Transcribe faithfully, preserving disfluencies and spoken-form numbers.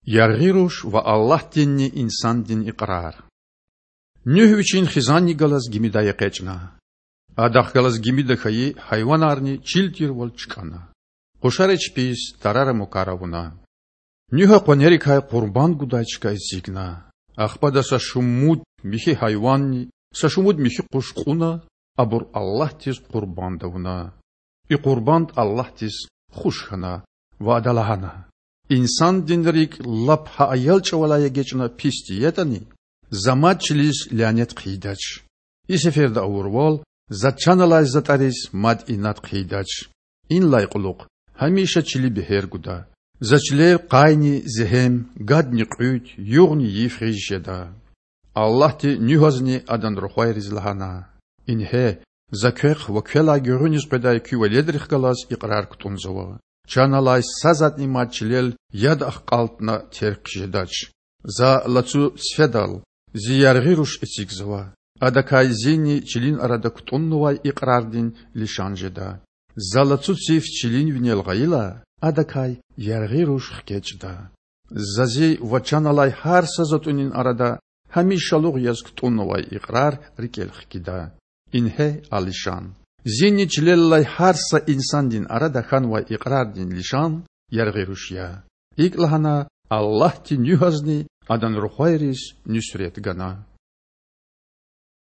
Яргъи руш ва Аллагьдинни инсандин икьрар. Нуьгь вичин хизанни галаз гимидай экъечІна. Адахъ галаз гимида хьайи гьайванарни чил тирвал чкІана. Къушари чпиз тарара-мукар авуна. Нуьгьа къванерикай къурбанд гудай чка эцигна. Ахпа ада са шумуд михьи гьайванни са шумуд михьи къуш кьуна, абур Аллагьдиз къурбанд авуна. И къурбанд Аллагьдиз хуш хьана ва Ада лагьана: Инсандин рикІ лап гьа аял чІавалай эгечІна писди ятІани, За мад чилиз лянет хъийидач. И сеферда авурвал За чан алай затІариз мад инад хъийидач. Инлай кьулухъ гьамиша чили бегьер гуда. За чилел къайни зегьем, гадни кьуьд, югъни йиф гъиз жеда. Аллагьди Нуьгьазни адан рухвайриз лагьана: Ингье, За квехъ ва квелай гуьгъуьниз къведай куь веледрихъ галаз икьрар кутІунзава: чан алай са затІни мад чилел яд ахкьалтна терг хъжедач. За лацу цифедал Зи яргъи руш эцигзава. Адакай Зини чилин арада кутІуннавай икьрардин лишан жеда. За лацу циф чилин винел гъайила, адакай яргъи руш хкечІда. За Зи ва чан алай гьар са затІунин арада гьамишалугъ яз кутІуннавай икьрар рикІел хкида. Ингье а лишан. Зини чилел алай гьар са инсандин арада хьанвай икьрардин лишан яргъи руш я. ИкІ лагьана Аллагьди Нуьгьазни адан рухвайриз нуьсрет гана.